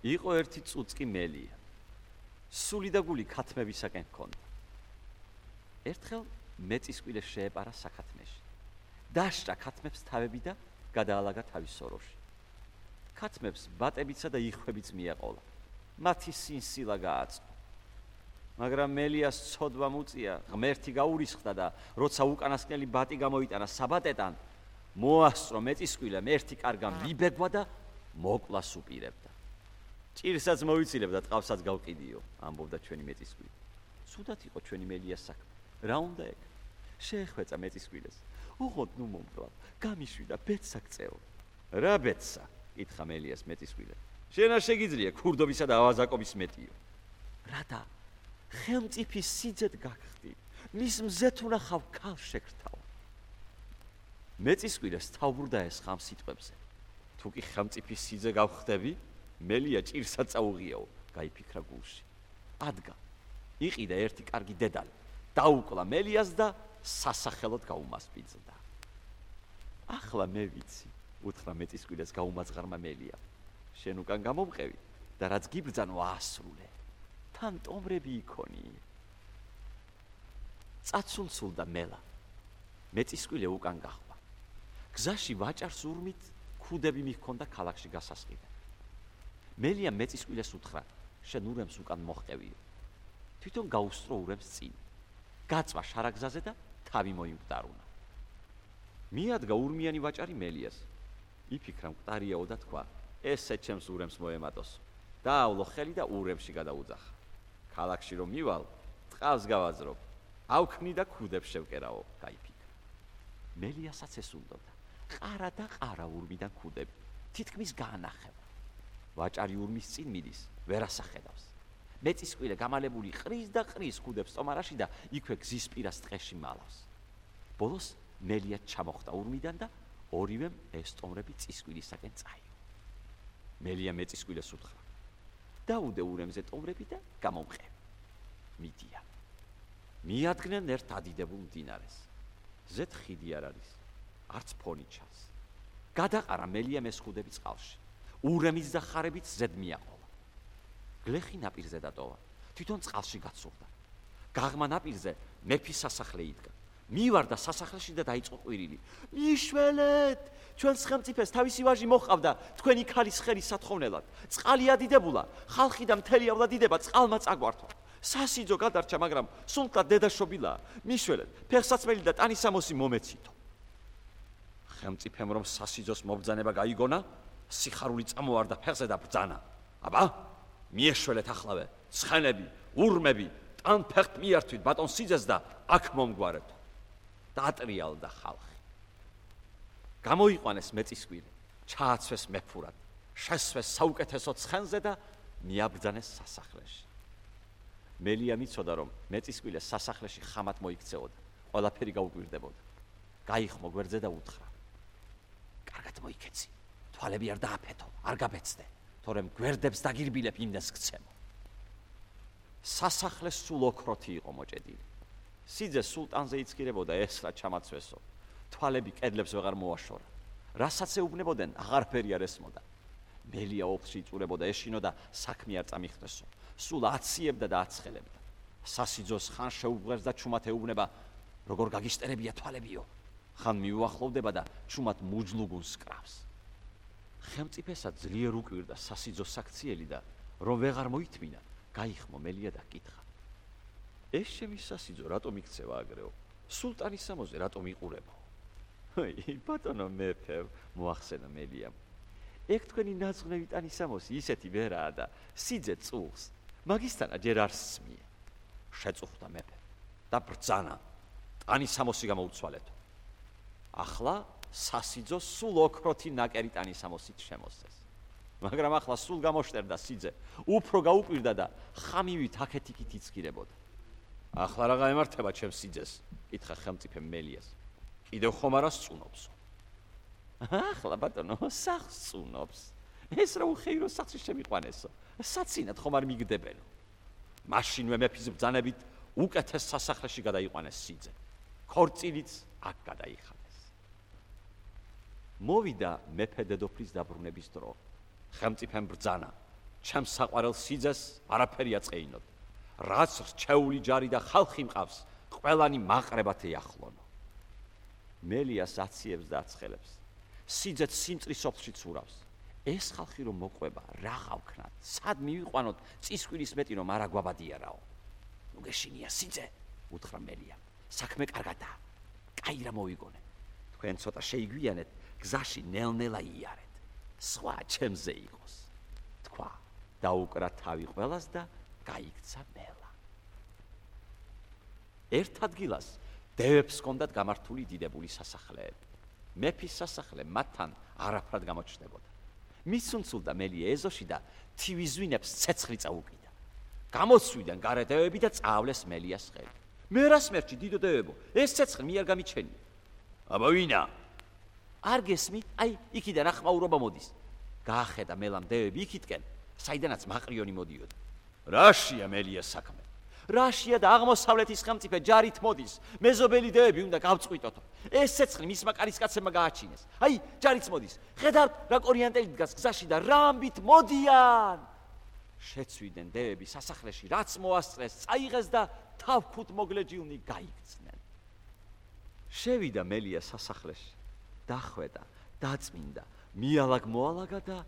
იყო ერთი წუწკი მელია. სული და გული ქათმებისაკენ ჰქონდა. ერთხელ მეწისკვილე შეეპარა საქათმეში. დასჭა ქათმებს თავები და გადაალაგა თავის სოროში. ქათმებს ბატებიცა და იხვებიც მიაყოლა. მათი სინსილა გააწყო. მაგრამ მელიას ცოდვა მუწია, ღმერთი გაურისხდა და როცა უკანასკნელი ბატი გამოიტანა საბატეტან, მოასწრო მეწისკვილემ ერთი კარგან ვიბეგვა და მოკლას უპირებდა. ჭირსაც მოვიცილებდა, ტყავსაც გავყიდიო, ამბობდა ჩვენი მეწისკვილი. სუდათ იყო ჩვენი მელიას საქმე. რა უნდა ეგ? შეეხვეწა მეწისკვილეს. ოღონდ ნუ მომკლავ, გამიშვიდა ბედსა გწეო. რა ბედსა? კითხა მელიას მეწისკვილე. შენ არ შეგიძლია ქურდობისა და ავაზაკობის მეტიო. რადა? ხელმწიფის სიძეთ გაგხდი, მის მზეთ უნახავ ქალს შეგრთავ. მეწისკვილეს თავბრდა ეს ხამ სიტყვებზე. თუ კი ხელმწიფის სიძე გავხდები, მელია ჭირსაც წაუღიაო, გაიფიქრა გულში. ადგა, იყიდა ერთი კარგი დედალი, დაუკლა მელიას და სასახელოდ გაუმასპინძლდა. ახლა მე ვიცი, უთხრა მეწისკვილეს გაუმაძღარმა მელია. შენ უკან გამომყევი და რაც გიბრძანო აასრულე. თან ტომრები იქონი. წაცულცულდა მელა. მეწისკვილე უკან გახვა. გზაში ვაჭარს ურმით ქუდები მიჰქონდა ქალაქში გასასყიდე. მელია მეწისკვილეს უთხრა, შენ ურემს უკან მოჰყევიო. თვითონ გაუსწრო ურემს წინ. გაწვა შარაგზაზე და თავი მოიმკვდარუნა. მიადგა ურმიანი ვაჭარი მელიას. იფიქრა მკვდარიაო და თქვა, ესე ჩემს ურემს მოემატოს. დაავლო ხელი და ურემში გადაუძახა. ქალაქში რომ მივალ, ტყავს გავაძრობ. ავქმნი და ქუდებს შევკერაო, გაიფიქრა. მელიასაც ეს უნდოდა. ყარა და ყარა ურმიდან ქუდები. თითქმის გაანახება. ვაჭარი ურმის წინ მიდის, ვერ ასახედავს. მეწისკვილე გამალებული ყრის და ყრის ქუდებს ტომარაში და იქვე გზის პირას ტყეში მალავს. ბოლოს მელია ჩამოხდა ურმიდან და ორივემ ეს ტომრები წისკვილისაკენ წაიო. მელია მეწისკვილეს უთხრა, დაუდე ურემზე ტომრები და გამომყევი. მიდიან. მიადგნენ ერთ ადიდებულ მდინარეს. ზედ ხიდი არ არის, არც ფონი ჩანს. გადაყარა მელიამ ეს ხუდები წყალში. ურემიც და ხარებიც ზედ მიაყოლა. გლეხი ნაპირზე დატოვა. თვითონ წყალში გაცურდა. გაღმა ნაპირზე მეფის სასახლე იდგა. მივარდა სასახლეში და დაიწყო ყვირილი. მიშველეთ! ჩვენს ხელმწიფეს თავისი ვაჟი მოჰყავდა თქვენი ქალის ხელის სათხოვნელად. წყალი ადიდებულა, ხალხი და მთელი ავლადიდება წყალმა წაგვართვა. სასიძო გადარჩა, მაგრამ სულთად დედაშობილა. მიშველეთ, ფეხსაცმელი და ტანისამოსი მომეცითო. ხელმწიფემ რომ სასიძოს მობრძანება გაიგონა, სიხარული წამოვარდა ფეხზე და ბრძანა. აბა, მიეშველეთახლავე, ცხენები, ურმები, ტან ფეხთ მიართვით ბატონ სიძეს და აქ მომგვარებთ. დაატრიალდა ხალხი. გამოიყვანეს მეწისკვილი, ჩააცვეს მეფურად, შესვეს საუკეთესო ცხენზე და მიაბრძანეს სასახლეში. მელია მიცოდა, რომ მეწისკვილეს სასახლეში ხამად მოიქცეოდა, ყველაფერი გაუკვირდებოდა. გაიხმო გვერდზე და უთხრა, კარგად მოიქეცი, თვალები არ დააფეთო, არ გაბეცდე, თორემ გვერდებს დაგირბილებ, იმდენს გცემო. სასახლე სულ ოქროთი იყო მოჭედილი. სიძე სულტანზე იცქირებოდა ეს რა ჩამაცვესო. თვალები კედლებს ვეღარ მოაშორა. რასაც ეუბნებოდნენ, აღარაფერი არ ესმოდა. მელია ოფში იწურებოდა ეშინო და საქმე არ წამიხდესო. სულ აციებდა და აცხელებდა. სასიძოს ხან შეუღვერს და ჩუმად ეუბნება, როგორ გაგიშტერებია თვალებიო. ხან მიუახლოვდება და ჩუმად მუჯლუგუნს კრავს. ხელმწიფესა ძლიერ უკვირდა სასიძოს საქციელი და რომ ვეღარ მოითმინა, გაიხმო მელია და კითხა. ეს ჩემი სასიძო რატომ იქცევა აგრეო? სულტანის სამოზე რატომ იყურებო? ბატონო მეფე, მოახსენა მელიამ. ეგ თქვენი ნაძღვნევი ტანისამოსი ისეთი ვერაა და სიძე წულს. მაგისთანა ჯერ არ სმია. შეწუხდა მეფე და ბრძანა. ტანისამოსი გამოუცვალეთო. ახლა სასიძო სულ ოქროთი ნაკერი ტანისამოსით შემოსცეს. მაგრამ ახლა სულ გამოშტერდა სიძე, უფრო გაუკვირდა და ხამივით აქეთ-იქით იცქირებოდა. ახლა რა გაემართება ჩემს სიძეს? კითხა ხელმწიფემ მელიას. კიდევ ხომ არა სწუნობსო? ახლა ბატონო, სახლს სწუნობს. ეს რა უხეირო სახლში შემიყვანესო. საცინად ხომ არ მიგდებენო. მაშინვე მეფის ბრძანებით უკეთეს სასახლეში გადაიყვანეს სიძე. ქორწილიც აქ გადაიხადეს. მოვიდა მეფე დედოფლის დაბრუნების დრო. ხელმწიფემ ბრძანა. ჩემს საყვარელ სიძეს არაფერი აწეინოდ. რაც რჩეული ჯარი და ხალხი მყავს, ყველანი მაყრებათ ეახლონო. მელიას აციებს და აცხელებს. სიძეც სიმწრის ოფში ცურავს. ეს ხალხი რომ მოყვება, რა გავქნათ? სად მივიყვანოთ წისკვირის მეტი რომ არა გვაბადიარაო? ნუ გეშინია სიძე, უთხრა მელია. საქმე კარგადაა. კაი რა მოვიგონე. თქვენ ცოტა შეიგვიანეთ, გზაში ნელ-ნელა იარეთ. სხვა ჩემზე იყოს. თქვა, დაუკრა თავი ყველას და გაიქცა მელა. ერთ ადგილას დევებს ჰქონდათ გამართული დიდებული სასახლეები. მეფის სასახლე მათთან არაფრად გამოჩნდებოდა. მისუნცულდა მელია ეზოში და თივიზვინებს ცეცხლი წაუკიდა. გამოსვიდნენ გარე დევები და წავლეს მელიას ხელი. მე რა სმერჩი დიდო დევებო, ეს ცეცხლი მიარ გამიჩენია. აბა ვინა? არ გესმით? აი, იქიდან ახმაურობა მოდის. გაახედა მელამ დევები იქითკენ, საიდანაც მაყრიონი მოდიოდა. რაშია მელიას საქმე? რაშია და აღმოსავლეთის ხელმწიფე ჯარით მოდის. მეზობელი დევები უნდა გავწყვიტოთო. ეს ცეცხლი მისმა კარისკაცებმა გააჩინეს. აი, ჯარით მოდის. ხედავთ, რა კორიანტელი დგას გზაში და რა ამბით მოდიან. შეცვიდნენ დევები სასახლეში, რაც მოასწრეს, წაიღეს და თავქუთ მოგლეჯილნი გაიქცნენ. შევიდა მელია სასახლეში, დახვედა, დაწმინდა, მიალაგ-მოალაგა და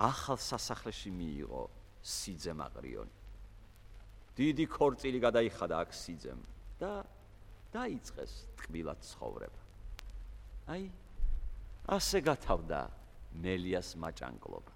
ახალ სასახლეში მიიღო სიძე მაყრიონი. დიდი ქორწილი გადაიხადა აქ სიძემ და დაიწყეს ტკბილად ცხოვრება. აი, ასე გათავდა მელიას მაჭანკლობა.